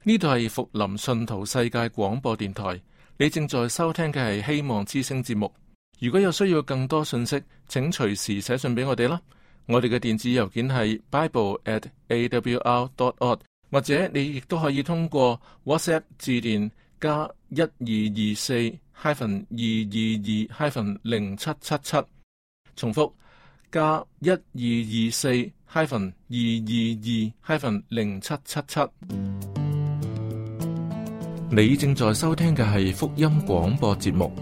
呢度係福林信徒世界廣播電台，你正在收聽嘅係希望之聲節目。如果有需要更多信息，請隨時寫信俾我哋啦。我哋嘅電子郵件係 bible@awr.org， 或者你亦都可以通過 WhatsApp 致電加1224-222-0777，重複加1224-222-0777。你正在收聽嘅係福音廣播節目，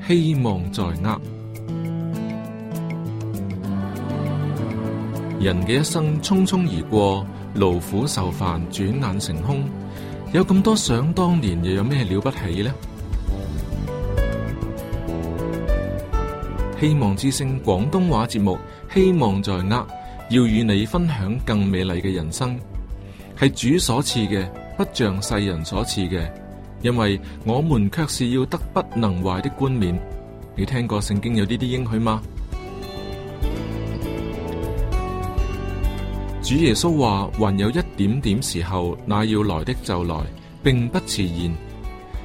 希望在握。人嘅一生匆匆而過，勞苦受煩，轉眼成空。有咁多想當年，又有咩了不起呢？希望之聲廣東話節目，希望在握，要與你分享更美麗嘅人生，係主所賜嘅，不像世人所賜嘅，因為我們卻是要得不能壞的冠冕。你聽過聖經有呢啲應許嗎？主耶穌話：還有一點點時候，那要來的就來，並不遲延。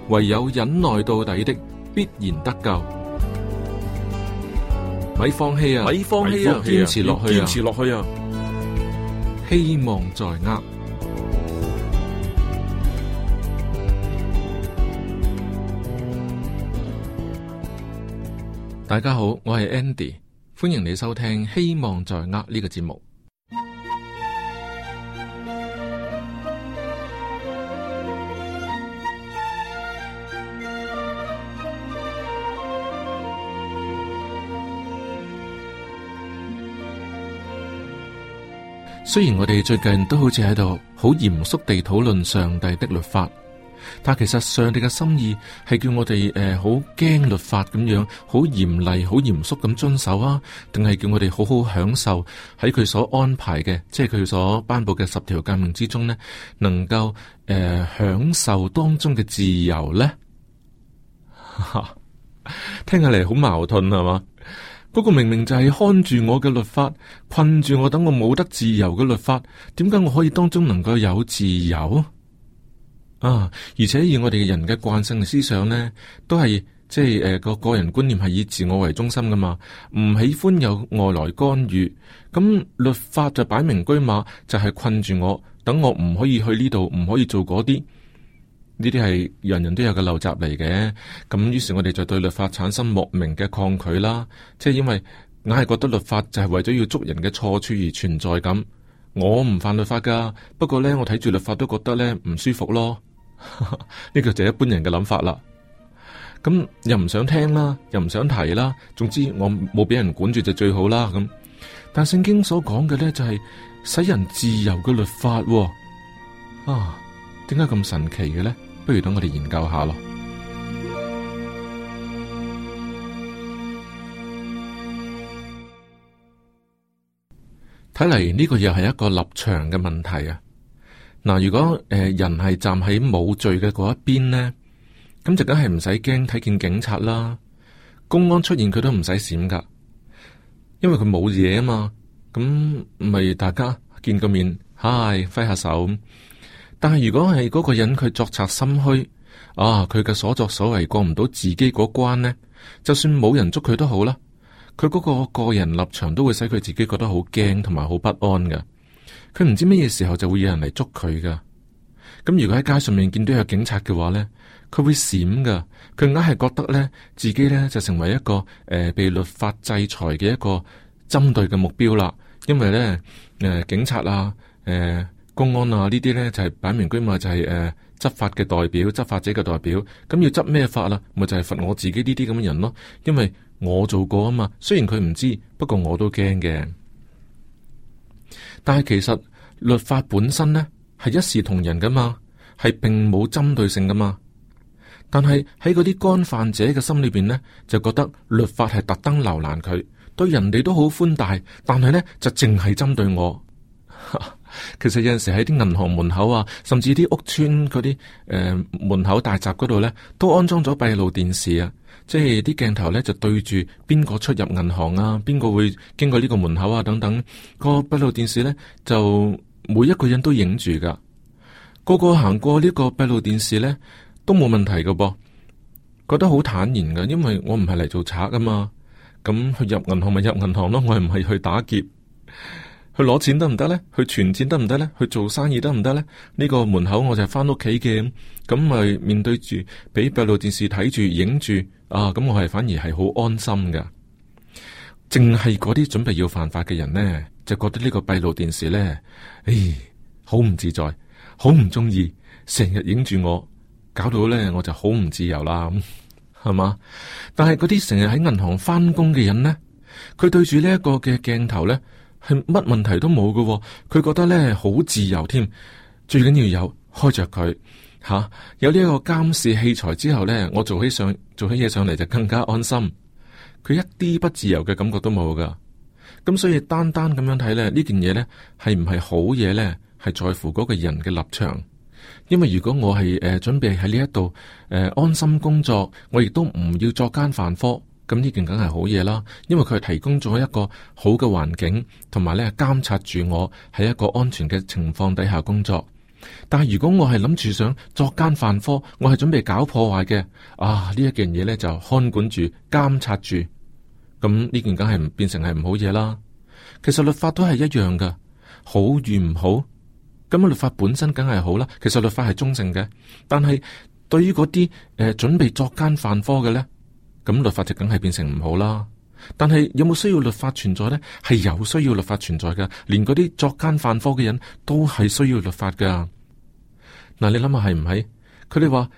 唯有忍耐到底的，必然得救。咪放棄啊！咪放棄啊！堅持落去啊！堅持落去啊！希望在握。大家好，我係 Andy， 歡迎你收聽《希望在握》呢個節目。雖然我哋最近都好似喺度好嚴肅地討論上帝的律法，但其實上帝嘅心意係叫我哋好驚律法咁樣，好嚴厲、好嚴肅咁遵守啊，定係叫我哋好好享受喺佢所安排嘅，即係佢所頒布嘅10條誡命之中呢，能夠享受當中嘅自由呢？聽起嚟好矛盾係嘛？嗰個明明就係看住我嘅律法，困住我，等我冇得自由嘅律法，點解我可以當中能夠有自由啊？而且以我哋人嘅慣性嘅思想呢，都係即係個人觀念係以自我為中心噶嘛，唔喜歡有外來干預。咁律法就擺明車馬，就係困住我，等我唔可以去呢度，唔可以做嗰啲。呢啲係人人都有嘅陋習嚟嘅，咁於是我哋就對律法產生莫名嘅抗拒啦，即係因為硬係覺得律法就係為咗要捉人嘅錯處而存在咁。我唔犯律法噶，不過呢，我睇住律法都覺得呢唔舒服咯。呢個就係一般人嘅諗法啦。咁又唔想聽啦，又唔想提啦，總之我冇俾人管住就最好啦。咁但聖經所講嘅呢，就係使人自由嘅律法喎。點解咁神奇嘅呢？不如等我哋研究下咯。睇嚟呢個又係一個立場嘅問題啊！嗱，如果人係站喺冇罪嘅嗰一邊呢，咁就梗係唔使驚睇見警察啦，公安出現佢都唔使閃噶，因為佢冇嘢啊嘛。咁咪大家見個面，嗨，揮下手。但係如果係嗰個人佢作賊心虛佢嘅所作所為過唔到自己嗰關呢，就算冇人捉佢都好啦，佢嗰個人立場都會使佢自己覺得好驚同埋好不安噶。佢唔知乜嘢時候就會有人嚟捉佢噶。咁如果喺街上面見到有警察嘅話呢，佢會閃噶。佢硬係覺得呢，自己呢就成為一個被律法制裁嘅一個針對嘅目標啦。因為呢，警察啊公安啊，呢啲呢就係擺明居嘛，就係執法嘅代表，執法者嘅代表。咁要執咩法啦？咪就係罰我自己呢啲咁嘅人咯。因為我做過啊嘛，雖然佢唔知，不過我都驚嘅。但係其實律法本身呢係一視同仁噶嘛，係並冇針對性噶嘛。但係喺嗰啲干犯者嘅心裏邊呢，就覺得律法係特登留難佢，對人哋都好寬大，但係呢就淨係針對我。其實有陣時喺啲銀行門口啊，甚至啲屋邨嗰啲門口大閘嗰度呢，都安裝咗閉路電視啊。即係啲鏡頭呢，就對住邊個出入銀行啊，邊個會經過呢個門口啊等等。個閉路電視呢，就每一個人都影住噶。個個行過呢個閉路電視呢，都冇問題噶噃，覺得好坦然噶，因為我唔係嚟做賊噶嘛。咁去入銀行咪入銀行咯，我係唔係去打劫？去攞錢得唔得呢？去存錢得唔得呢？去做生意得唔得呢？呢個門口我就係翻屋企嘅，咁咪面對住俾閉路電視睇住影住啊！咁我係反而係好安心噶。淨係嗰啲準備要犯法嘅人呢，就覺得呢個閉路電視呢，好唔自在，好唔中意，成日影住我，搞到呢我就好唔自由啦。係嘛？但係嗰啲成日喺銀行翻工嘅人呢，佢對住呢一個嘅鏡頭呢，係乜問題都冇嘅。佢覺得呢好自由添。最緊要有開着佢吓，有呢一個監視器材之後呢，我做起嘢上嚟就更加安心。佢一啲不自由嘅感覺都冇噶。咁所以單單咁樣睇呢，呢件嘢呢係唔係好嘢呢？係在乎嗰個人嘅立場。因為如果我係準備喺呢一度安心工作，我亦都唔要作奸犯科，咁呢件梗係好嘢啦。因為佢係提供咗一個好嘅環境，同埋咧監察住我喺一個安全嘅情況底下工作。但係如果我係諗住想作奸犯科，我係準備搞破壞嘅，呢一件嘢咧就看管住、監察住，咁呢件梗係變成係唔好嘢啦。其實律法都係一樣噶，好與唔好。咁律法本身梗係好啦，其實律法係中性嘅，但係對於嗰啲準備作奸犯科嘅咧，咁律法就梗係變成唔好啦。但係有冇需要律法存在咧？係有需要律法存在嘅，連嗰啲作奸犯科嘅人都係需要律法噶。嗱，你諗下係唔係？佢哋話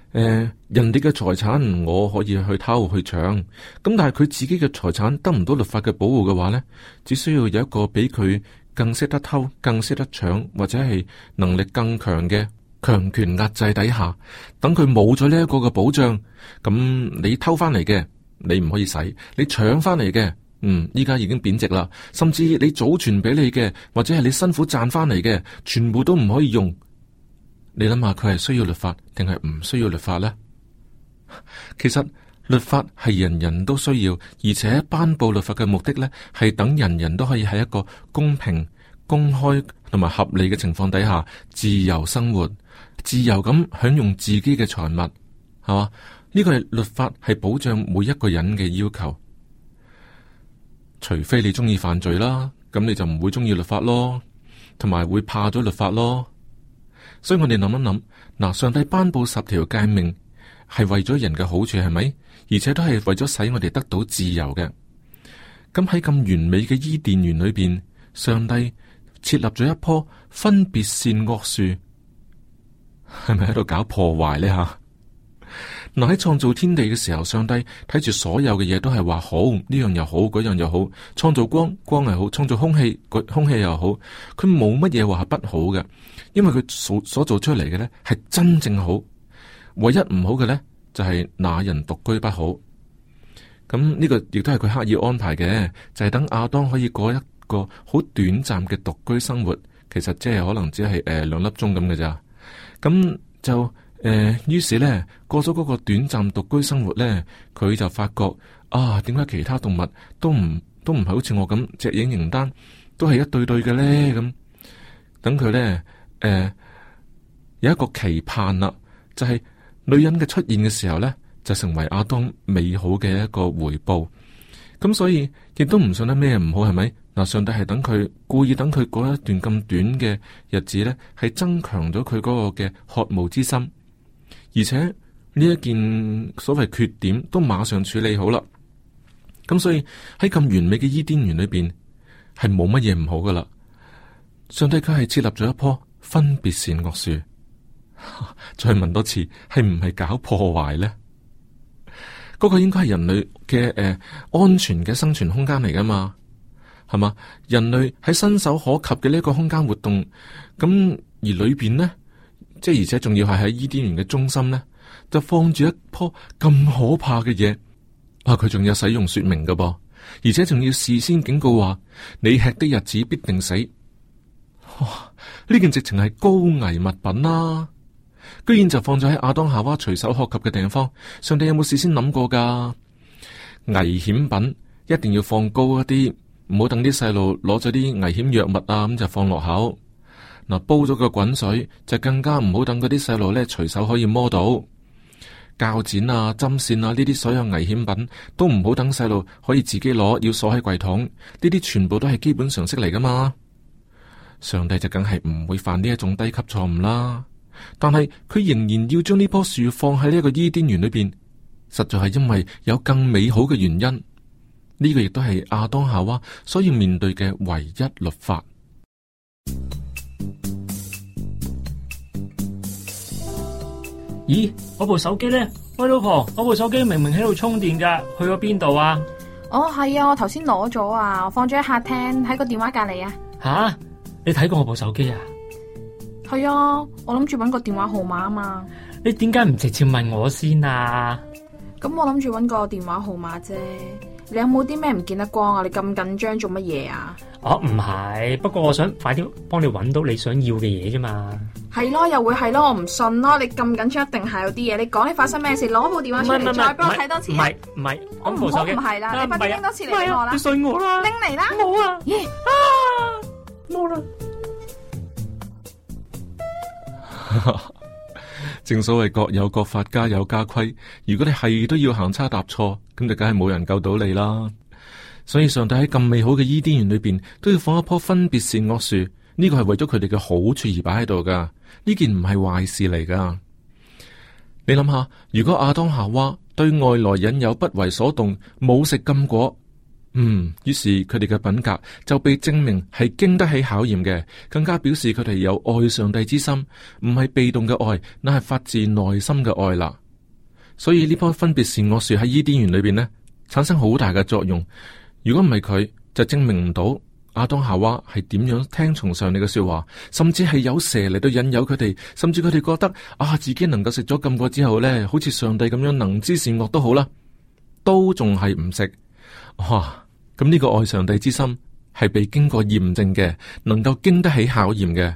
人哋嘅財產我可以去偷去搶，咁但係佢自己嘅財產得唔到律法嘅保護嘅話咧，只需要有一個比佢更識得偷、更識得搶，或者係能力更強嘅強權壓制底下，等佢冇咗呢一個嘅保障，咁你偷翻嚟嘅你唔可以使，你搶翻嚟嘅，依家已經貶值啦，甚至你祖傳俾你嘅，或者係你辛苦賺翻嚟嘅，全部都唔可以用。你諗下，佢係需要律法定係唔需要律法呢？其實律法係人人都需要，而且頒布律法嘅目的呢，係等人人都可以喺一個公平、公開同埋合理嘅情況底下自由生活，自由咁享用自己嘅財物，係嘛？呢個係律法係保障每一個人嘅要求，除非你中意犯罪啦，咁你就唔會中意律法咯，同埋會怕咗律法咯。所以我哋諗一諗，嗱，上帝頒布10條誡命係為咗人嘅好處，係咪？而且都係為咗使我哋得到自由嘅。咁喺咁完美嘅伊甸園裏邊，上帝設立咗一棵分別善惡樹，係咪喺度搞破壞呢？吓，嗱，喺創造天地嘅時候，上帝睇住所有嘅嘢都係話好，呢樣又好，嗰樣又好。創造光，光係好；創造空氣，空氣又好。佢冇乜嘢話係不好嘅，因為佢所做出嚟嘅咧係真正好。唯一唔好嘅咧就係那人獨居不好。咁呢個亦都係佢刻意安排嘅，就係等亞當可以過一個好短暫嘅獨居生活。其實即係可能只係2粒鐘咁嘅咋。咁就於是咧過咗嗰個短暫獨居生活咧，佢就發覺點解其他動物都唔係好似我咁隻影形單，都係一對對嘅咧？咁等佢咧有一個期盼啦，就係女人嘅出現嘅時候咧，就成為亞當美好嘅一個回報。咁所以亦都唔信得咩唔好，係咪？嗱，上帝係等佢故意等佢過一段咁短嘅日子咧，係增強咗佢嗰個嘅渴慕之心。而且呢一件所謂缺點都馬上處理好啦，咁所以喺咁完美嘅伊甸園裏邊係冇乜嘢唔好噶啦。上帝佢係設立咗一棵分別善惡樹，再問多次，係唔係搞破壞呢？嗰個應該係人類嘅安全嘅生存空間嚟噶嘛，係嘛？人類喺伸手可及嘅呢個空間活動，咁而裏邊呢？即係而且仲要係喺伊甸園嘅中心呢，就放住一棵咁可怕嘅嘢。佢仲有使用說明噶噃，而且仲要事先警告話你吃的日子必定死。呢件直情係高危物品啦，居然就放咗喺亞當夏娃隨手可及嘅地方。上帝有冇事先諗過噶？危險品一定要放高一啲，唔好等啲細路攞咗啲危險藥物咁就放落口。嗱，煲咗個滾水就更加唔好等嗰啲細路咧隨手可以摸到。鉸剪啊、針線啊呢啲所有危險品都唔好等細路可以自己攞，要鎖喺櫃桶。呢啲全部都係基本常識嚟噶嘛。上帝就梗係唔會犯呢一種低級錯誤啦。但係佢仍然要將呢棵樹放喺呢一個伊甸園裏邊，實在係因為有更美好嘅原因。呢個亦都係亞當夏娃所要面對嘅唯一律法。咦，我部手機呢？喂，老婆，我部手機明明喺度充電噶，去咗邊度啊？哦，係啊，我頭先攞咗啊，我放咗喺客廳，喺個電話隔籬啊。吓，你睇過我部手機啊？係啊，我諗住搵個電話號碼啊嘛。你點解唔直接問我先啊？咁我諗住搵個電話號碼啫。你有冇啲咩唔見得光啊？你咁緊張做乜嘢啊？哦，唔係，不過我想快啲幫你搵到你想要嘅嘢啫嘛。係咯，又會係咯，我唔信咯。你咁緊張，一定係有啲嘢。你講你發生咩事？攞部電話出嚟，再幫我睇多次。唔係，我唔好唔係啦，你快啲拎多次嚟俾我啦。你信我啦，拎嚟啦。冇啊，冇啦。正所謂各有各法，家有家規。如果你係都要行差踏錯，咁就梗係冇人救到你啦。所以上帝喺咁美好嘅伊甸園裏邊，都要放一棵分別善惡樹。呢個係為咗佢哋嘅好處而擺喺度噶。呢件唔係壞事嚟噶。你諗下，如果亞當夏娃對外來引誘不為所動，冇食禁果，於是佢哋嘅品格就被證明係經得起考驗嘅，更加表示佢哋有愛上帝之心，唔係被動嘅愛，乃係發自內心嘅愛啦。所以呢棵分別善惡樹喺伊甸園裏邊呢，產生好大嘅作用。如果唔係佢，就證明唔到亞當夏娃係點樣聽從上帝嘅說話，甚至係有蛇嚟到引誘佢哋，甚至佢哋覺得自己能夠食咗禁果之後呢，好似上帝咁樣能知善惡都好啦，都仲係唔食。哇！咁呢個愛上帝之心係被經過驗證嘅，能夠經得起考驗嘅。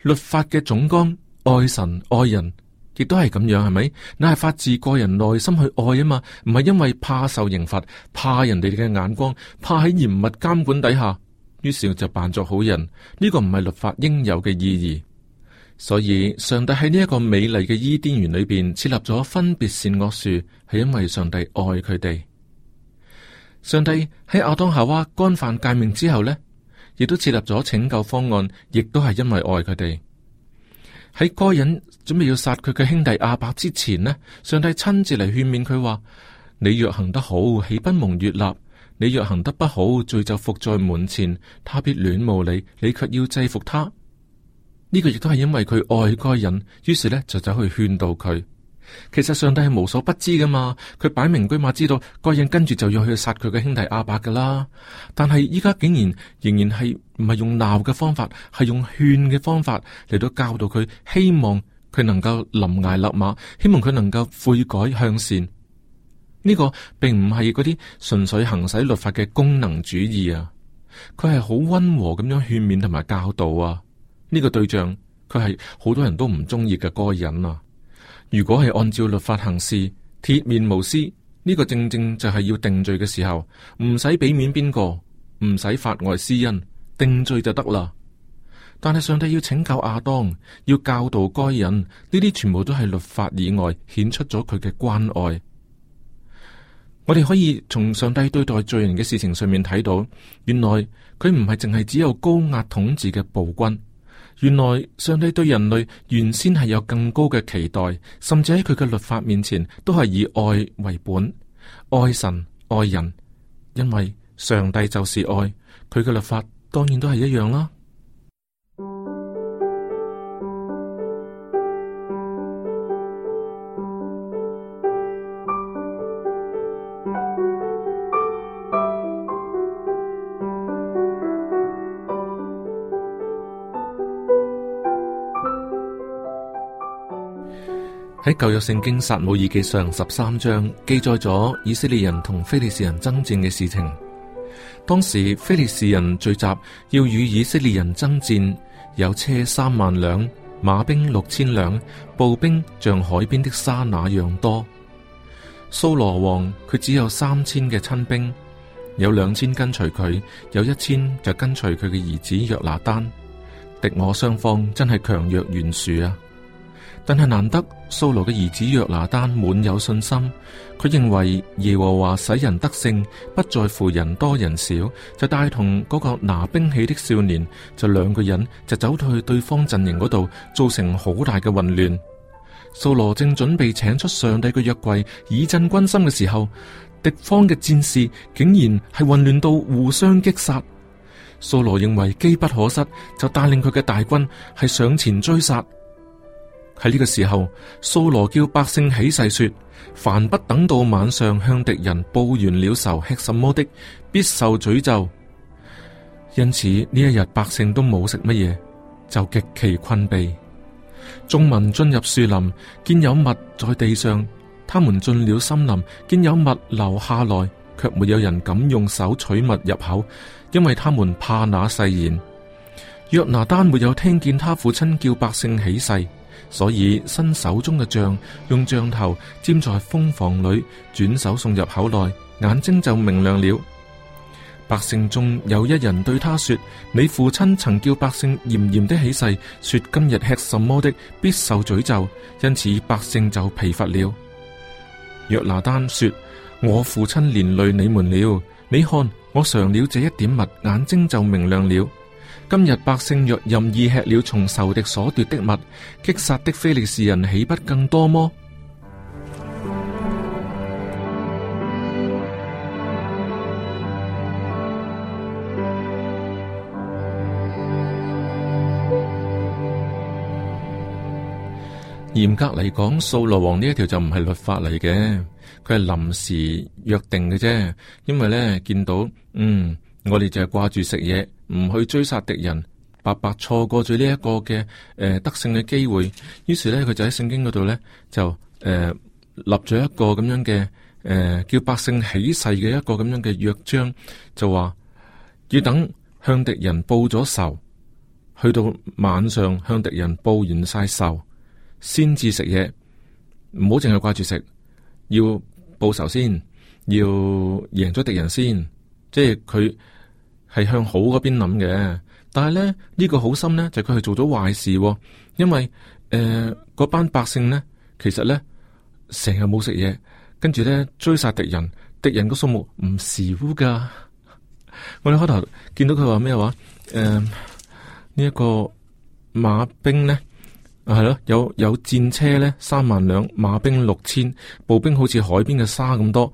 律法嘅總綱，愛神愛人，亦都係咁樣，係咪？那係發自個人內心去愛啊嘛，唔係因為怕受刑罰，怕人哋嘅眼光，怕喺嚴密監管底下，於是就扮作好人。呢個唔係律法應有嘅意義。所以上帝喺呢一個美麗嘅伊甸園裏邊設立咗分別善惡樹，係因為上帝愛佢哋。上帝喺亞當夏娃干犯誡命之後呢，亦都設立咗拯救方案，亦都係因為愛佢哋。喺該隱準備要殺佢嘅兄弟亞伯之前呢，上帝親自嚟勸勉佢話：你若行得好，豈不蒙悅納？你若行得不好，罪就伏在門前，他必戀慕你，你卻要制服他。呢個亦都係因為佢愛該隱，於是呢就走去勸導佢。其實上帝係無所不知噶嘛，佢擺明居馬知道該隱跟住就要去殺佢嘅兄弟亞伯噶啦。但係依家竟然仍然係唔係用鬧嘅方法，係用勸嘅方法嚟到教導佢，希望佢能夠臨崖勒馬，希望佢能夠悔改向善。呢個並唔係嗰啲純粹行使律法嘅功能主義啊，佢係好溫和咁樣勸勉同埋教導啊。呢個對象佢係好多人都唔中意嘅該隱啊。如果係按照律法行事，鐵面無私，呢個正正就係要定罪嘅時候，唔使俾面邊個，唔使法外施恩，定罪就得啦。但係上帝要拯救亞當，要教導該隱，呢啲全部都係律法以外顯出咗佢嘅關愛。我哋可以從上帝對待罪人嘅事情上面睇到，原來佢唔係淨係只有高壓統治嘅暴君。原來上帝對人類原先係有更高嘅期待，甚至喺佢嘅律法面前都係以愛為本，愛神愛人，因為上帝就是愛，佢嘅律法當然都係一樣啦。喺舊約聖經撒母耳記上13章記載咗以色列人同非利士人爭戰嘅事情。當時非利士人聚集要與以色列人爭戰，有車3萬輛，馬兵6000輛，步兵像海邊的沙那樣多。掃羅王佢只有3000嘅親兵，有2000跟隨佢，有1000就跟隨佢嘅兒子約拿單。敵我雙方真係強弱懸殊啊！但係難得掃羅嘅兒子約拿單滿有信心，佢認為耶和華使人得勝，不在乎人多人少，就帶同嗰個拿兵器的少年，就兩個人就走到去對方陣營嗰度，造成好大嘅混亂。掃羅正準備請出上帝嘅約櫃以振軍心嘅時候，敵方嘅戰士竟然係混亂到互相擊殺。掃羅認為機不可失，就帶領佢嘅大軍係上前追殺。喺呢個時候，掃羅叫百姓起誓說：凡不等到晚上向敵人報完了仇，吃什麼的，必受詛咒。因此呢一日百姓都冇食乜嘢，就極其困憊。眾民進入樹林，見有物在地上；他們進了森林，見有物流下來，卻沒有人敢用手取物入口，因為他們怕那誓言。約拿單沒有聽見他父親叫百姓起誓，所以伸手中嘅杖，用杖頭沾在蜂房裏，轉手送入口內，眼睛就明亮了。百姓中有一人對他說：你父親曾叫百姓嚴嚴的起誓，說今日吃什麼的必受詛咒，因此百姓就疲乏了。約拿單說：我父親連累你們了，你看我嘗了這一點物，眼睛就明亮了。今日百姓若任意吃了從仇敵所奪的物，擊殺的非利士人豈不更多麼？嚴格嚟講，掃羅王呢一條就唔係律法嚟嘅，佢係臨時約定嘅啫。因為咧見到，我哋就係掛住食嘢，唔去追殺敵人，白白錯過咗呢一個嘅得勝嘅機會。於是咧，佢就喺聖經嗰度咧就立咗一個咁樣嘅叫百姓起誓嘅一個咁樣嘅約章，就話要等向敵人報咗仇，去到晚上向敵人報完晒仇，先至食嘢，唔好淨係掛住食，要報仇先，要贏咗敵人先，即係佢係向好嗰邊諗嘅。但係咧呢個好心咧，就佢係做咗壞事，因為嗰班百姓咧，其實咧成日冇食嘢，跟住咧追殺敵人，敵人個數目唔少噶。我哋開頭見到佢話咩話？呢一個馬兵咧。係咯，有戰車咧3萬輛，馬兵6000，步兵好似海邊嘅沙咁多，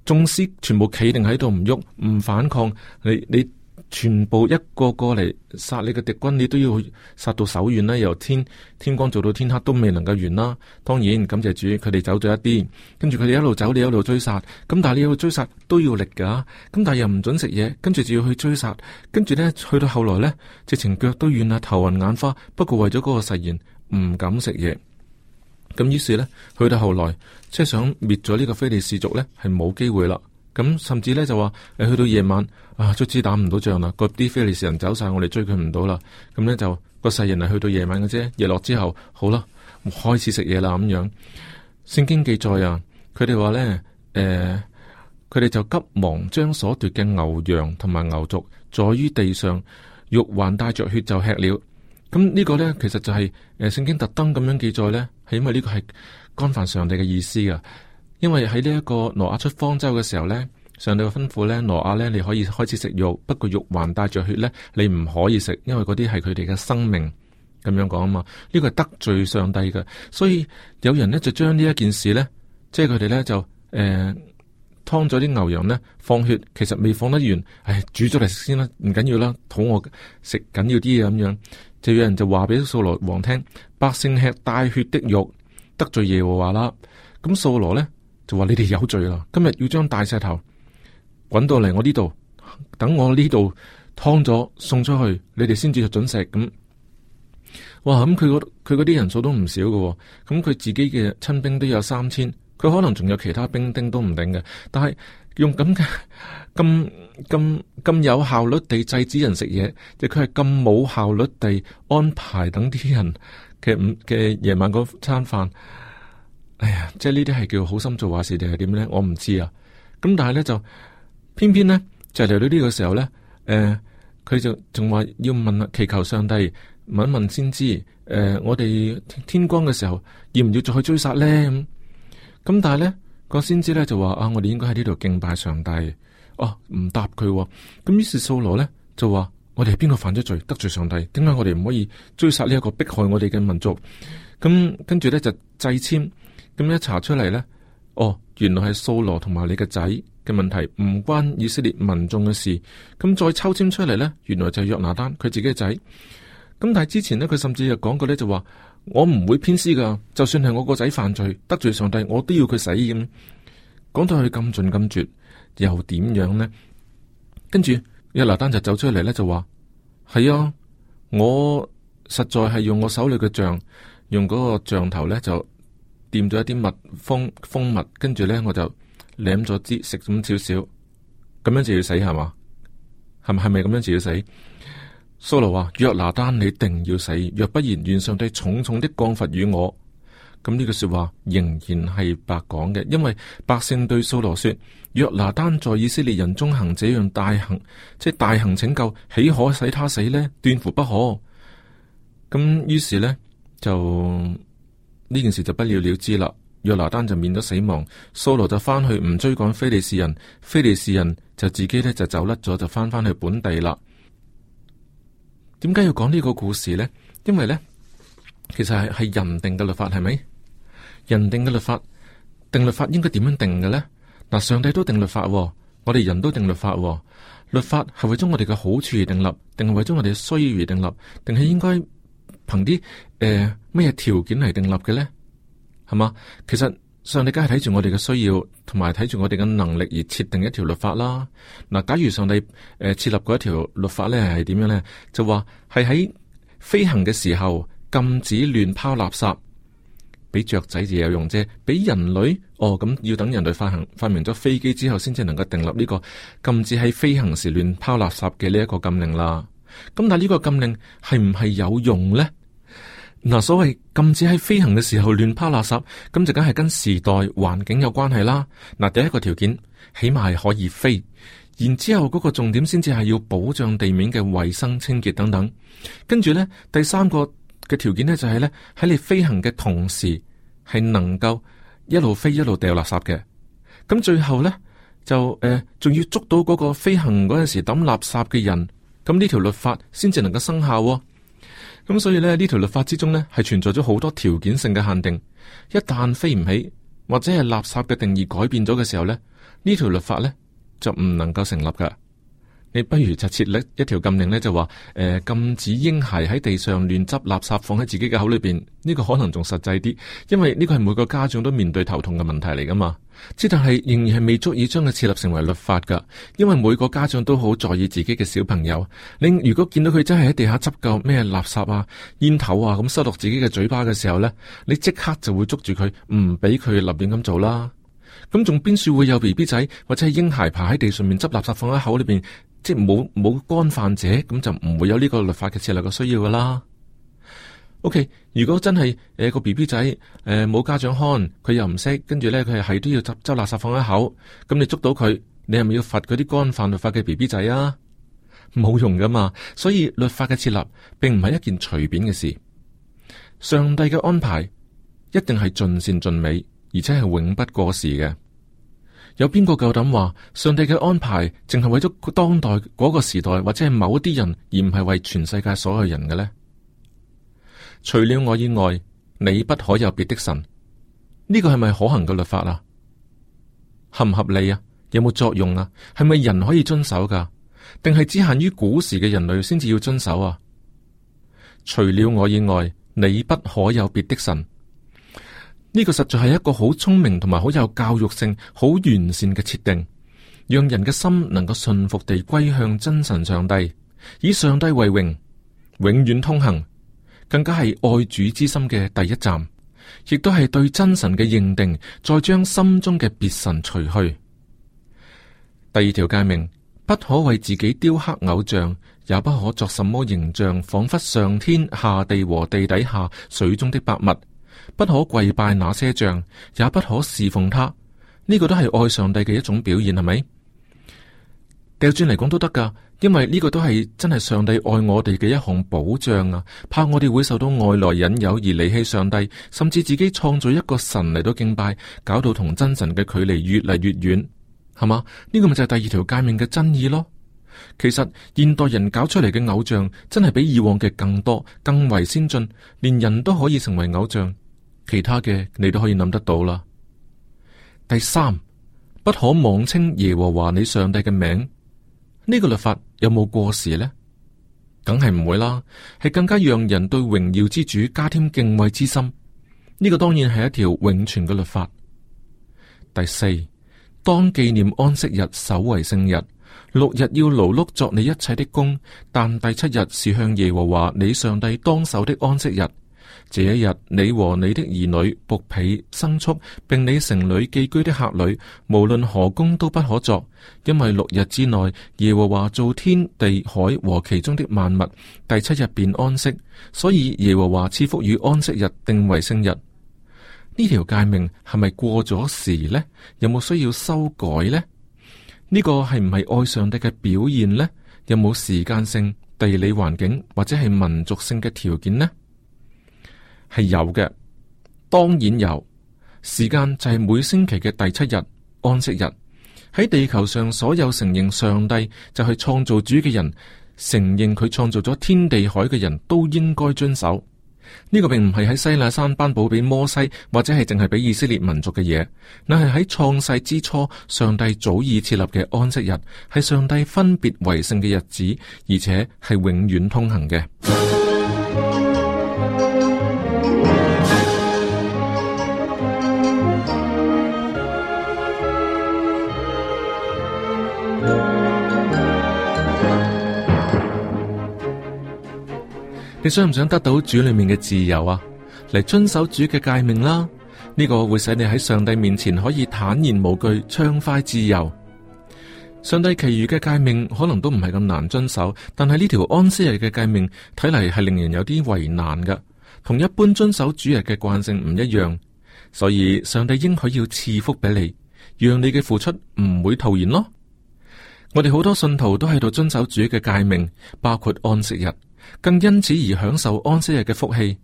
眾師全部企定喺度唔喐，唔反抗。你全部一個個嚟殺你嘅敵軍，你都要殺到手軟啦。由天光做到天黑都未能夠完啦。當然感謝主，佢哋走咗一啲，跟住佢哋一路走，你一路追殺。咁但係你一路追殺都要力噶，咁但係又唔准食嘢，跟住就要去追殺。跟住咧去到後來咧，直情腳都軟啦，頭暈眼花。不過為咗嗰個誓言，唔敢食嘢。咁於是咧，去到後來即係想滅咗呢個非利士族咧，係冇機會啦。咁甚至咧就話去到夜晚卒之打唔到仗啦，嗰啲非利士人走晒，我哋追佢唔到啦。咁咧就個誓言係去到夜晚嘅啫，日落之後好啦，開始食嘢啦咁樣。聖經記載啊，佢哋話咧，佢哋就急忙將所奪嘅牛羊同埋牛犢在於地上，肉還帶着血就吃了。咁呢個咧其實就係聖經特登咁樣記載咧，係因為呢個係干犯上帝嘅意思噶。因為喺呢一個挪亞出方舟嘅時候咧，上帝嘅吩咐咧，挪亞咧你可以開始食肉，不過肉還帶着血咧，你唔可以食，因為嗰啲係佢哋嘅生命，咁樣講啊嘛。呢個係得罪上帝嘅，所以有人咧就將呢一件事咧，即係佢哋咧就劏咗啲牛羊咧放血，其實未放得完，煮咗嚟食先啦，唔緊要啦，肚餓食緊要啲嘢咁樣。就有人就話俾掃羅王聽，百姓吃帶血的肉，得罪耶和華啦。咁掃羅咧就話：你哋有罪啦！今日要將大石頭滾到嚟我呢度，等我呢度劏咗送出去，你哋先至准食。咁哇！咁佢嗰啲人數都唔少嘅，咁佢自己嘅親兵都有3000，佢可能仲有其他兵丁都唔定嘅。但係用咁嘅咁有效率地制止人食嘢，就佢係咁冇效率地安排等啲人嘅夜晚嗰餐飯。哎呀，即係呢啲係叫好心做壞事定係點咧？我唔知啊。咁但係咧就偏偏咧就嚟到呢個時候咧，佢佢就仲話要問祈求上帝問一問先知，我哋天光嘅時候要唔要再去追殺呢？咁但係呢個先知呢就話我哋應該喺呢度敬拜上帝。唔答佢。咁於是掃羅呢就話我哋係邊個犯咗罪得罪上帝？點解我哋唔可以追殺呢一個迫害我哋嘅民族？咁跟住呢就掣籤，咁一查出嚟呢，原來係掃羅同埋你嘅仔嘅問題，唔關以色列民眾嘅事。咁再抽籤出嚟呢，原來就係約拿單佢自己嘅仔。咁但係之前呢，佢甚至又講過呢，就話我唔會偏私噶，就算係我個仔犯罪得罪上帝，我都要佢死。咁講到佢咁盡咁絕，又點樣呢？跟住約拿單就走出嚟呢，就話係啊，我實在係用我手裏嘅杖，用嗰個杖頭呢，就掂咗一啲蜂蜜，跟住呢，我就舐咗啲食咁少少，咁樣就要死係嘛？係咪咁樣就要死？掃羅話約拿單你定要死，若不然願上帝重重的降罰於我。咁呢句說話仍然係白講嘅，因為百姓對掃羅說：約拿單在以色列人中行這樣大行，即係大行拯救，豈可使他死呢？斷乎不可。咁於是呢，就呢件事就不了了之啦。約拿單就免咗死亡，掃羅就翻去唔追趕非利士人，非利士人就自己呢就走甩咗，就翻去本地啦。點解要講呢個故事呢？因為呢，其實係人定嘅律法，係咪？人定嘅律法，定律法應該點樣定嘅呢？嗱，上帝都定律法，我哋人都定律法。律法係為咗我哋嘅好處而定立，定係為咗我哋嘅需要而定立，定係應該憑啲咩條件嚟定立嘅呢？係嘛？其實上帝梗係睇住我哋嘅需要，同埋睇住我哋嘅能力而設定一條律法啦。嗱，假如上帝設立嗰一條律法咧，係點樣咧？就話係喺飛行嘅時候禁止亂拋垃圾，俾雀仔就有用啫。俾人類咁要等人類發明咗飛機之後，先至能夠訂立呢個禁止喺飛行時亂拋垃圾嘅呢一個禁令啦。咁但係呢個禁令係唔係有用咧？嗱，所謂禁止喺飛行嘅時候亂拋垃圾，咁就梗係跟時代環境有關係啦。嗱，第一個條件起碼係可以飛，然之後嗰個重點先至係要保障地面嘅衛生清潔等等。跟住呢，第三個嘅條件呢，就係呢：喺你飛行嘅同時係能夠一路飛一路掉垃圾嘅。咁最後呢，就仲要捉到嗰個飛行嗰陣時抌垃圾嘅人，咁呢條律法先至能夠生效喎。咁所以呢，呢條律法之中呢，係存在咗好多條件性嘅限定。一旦飛唔起，或者係垃圾嘅定義改變咗嘅時候呢，呢條律法呢，就唔能夠成立噶。你不如就設立一條禁令呢，就話禁止嬰孩喺地上亂執垃圾放喺自己嘅口裏邊。呢個可能仲實際啲，因為呢個係每個家長都面對頭痛嘅問題嚟噶嘛。但係仍然係未足以將佢設立成為律法噶，因為每個家長都好在意自己嘅小朋友。你如果見到佢真係喺地下執夠咩垃圾啊、煙頭啊咁塞落自己嘅嘴巴嘅時候呢，你即刻就會捉住佢，唔俾佢立亂咁做啦。咁仲邊處會有 BB 仔或者係嬰孩爬喺地上面執垃圾放喺口裏邊，即係冇干犯者，咁就唔會有呢個律法嘅設立嘅需要噶啦。OK， 如果真係個 BB 仔冇家長看，佢又唔識，跟住呢，佢係都要執垃圾放喺口，咁你捉到佢，你係咪要罰嗰啲干犯律法嘅 BB 仔啊？冇用噶嘛。所以律法嘅設立並唔係一件隨便嘅事，上帝嘅安排一定係盡善盡美，而且係永不過時嘅。有邊個夠膽話上帝嘅安排淨係為咗當代嗰個時代或者係某一啲人，而唔係為全世界所有人嘅呢？除了我以外，你不可有別的神。呢個係咪可行嘅律法啊？合唔合理啊？有冇作用啊？係咪人可以遵守噶？定係只限於古時嘅人類先至要遵守啊？除了我以外，你不可有別的神。呢個實在係一個好聰明同埋好有教育性、好完善嘅設定，讓人嘅心能夠順服地歸向真神上帝，以上帝為榮，永遠通行。更加係愛主之心嘅第一站，亦都係對真神嘅認定，再將心中嘅別神除去。第二條誡命，不可為自己雕刻偶像，也不可作什麼形象，仿佛上天下地和地底下水中的百物。不可跪拜那些像，也不可侍奉他。呢個都係愛上帝嘅一種表現，係咪？掉轉嚟講都得噶，因為呢個都係真係上帝愛我哋嘅一項保障啊！怕我哋會受到外來引誘而離棄上帝，甚至自己創造一個神嚟到敬拜，搞到同真神嘅距離越嚟越遠，係嘛？呢個咪就係第二條誡命嘅真義咯。其實現代人搞出嚟嘅偶像真係比以往嘅更多，更為先進，連人都可以成為偶像。其他嘅你都可以諗得到啦。第三，不可妄稱耶和華你上帝嘅名。呢個律法有冇過時呢？梗係唔會啦，係更加讓人對榮耀之主加添敬畏之心。呢個當然係一條永存嘅律法。第四，當紀念安息日，守為聖日。6日要勞碌作你一切的工，但第7日是向耶和華你上帝當守的安息日。這一日，你和你的兒女、僕婢、牲畜，並你城裏寄居的客旅，無論何工都不可作，因為6日之內，耶和華造天地海和其中的萬物，第7日便安息，所以耶和華賜福與安息日，定為聖日。呢條誡命係咪過咗時呢？有冇需要修改呢？呢個係唔係愛上帝嘅表現呢？有冇時間性、地理環境或者係民族性嘅條件呢？係有嘅，當然有。時間就係每星期嘅第7日，安息日。喺地球上所有承認上帝就係創造主嘅人，承認佢創造咗天地海嘅人都應該遵守。呢個並唔係喺西奈山頒布俾摩西，或者係淨係俾以色列民族嘅嘢，乃係喺創世之初，上帝早已設立嘅安息日，係上帝分別為聖嘅日子，而且係永遠通行嘅。你想唔想得到主裏面嘅自由啊？嚟遵守主嘅誡命啦，呢個會使你喺上帝面前可以坦然無懼，暢快自由。上帝其餘嘅誡命可能都唔係咁難遵守，但係呢條安息日嘅誡命睇嚟係令人有啲為難噶，同一般遵守主日嘅慣性唔一樣，所以上帝應許要賜福俾你，讓你嘅付出唔會徒然咯。我哋好多信徒都喺度遵守主嘅誡命，包括安息日，更因此而享受安息日嘅福氣。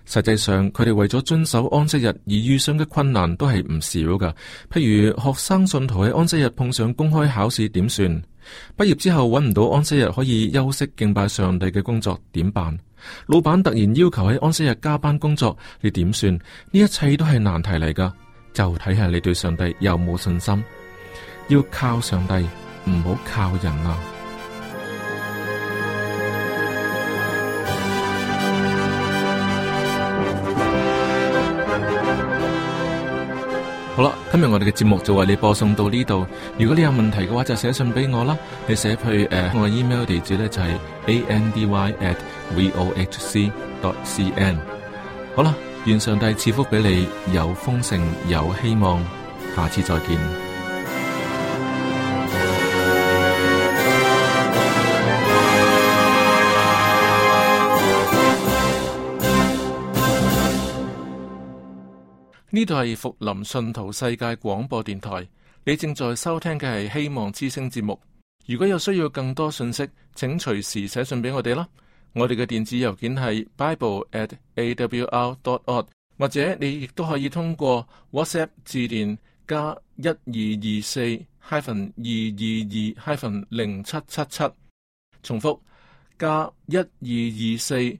實際上，佢哋為咗遵守安息日而遇上嘅困難都係唔少噶。譬如學生信徒喺安息日碰上公開考試點算？畢業之後揾唔到安息日可以休息敬拜上帝嘅工作點辦？老闆突然要求喺安息日加班工作，你點算？呢一切都係難題嚟噶。就睇下你對上帝有冇信心，要靠上帝，唔好靠人啊！好啦，今日我哋嘅節目就為你播送到呢度。如果你有問題嘅話，就寫信俾我啦。你寫去我嘅 email 地址呢，就係 andy@vohc.cn。好啦，願上帝賜福俾你，有豐盛，有希望。下次再見。呢度係福林信徒世界廣播電台，你正在收聽嘅係希望之聲節目。如果有需要更多信息，請隨時寫信俾我哋啦。我哋嘅電子郵件係 bible@awr.org， 或者你亦都可以通過 WhatsApp 致電加1224-222-0777，重複加1224-222-0777。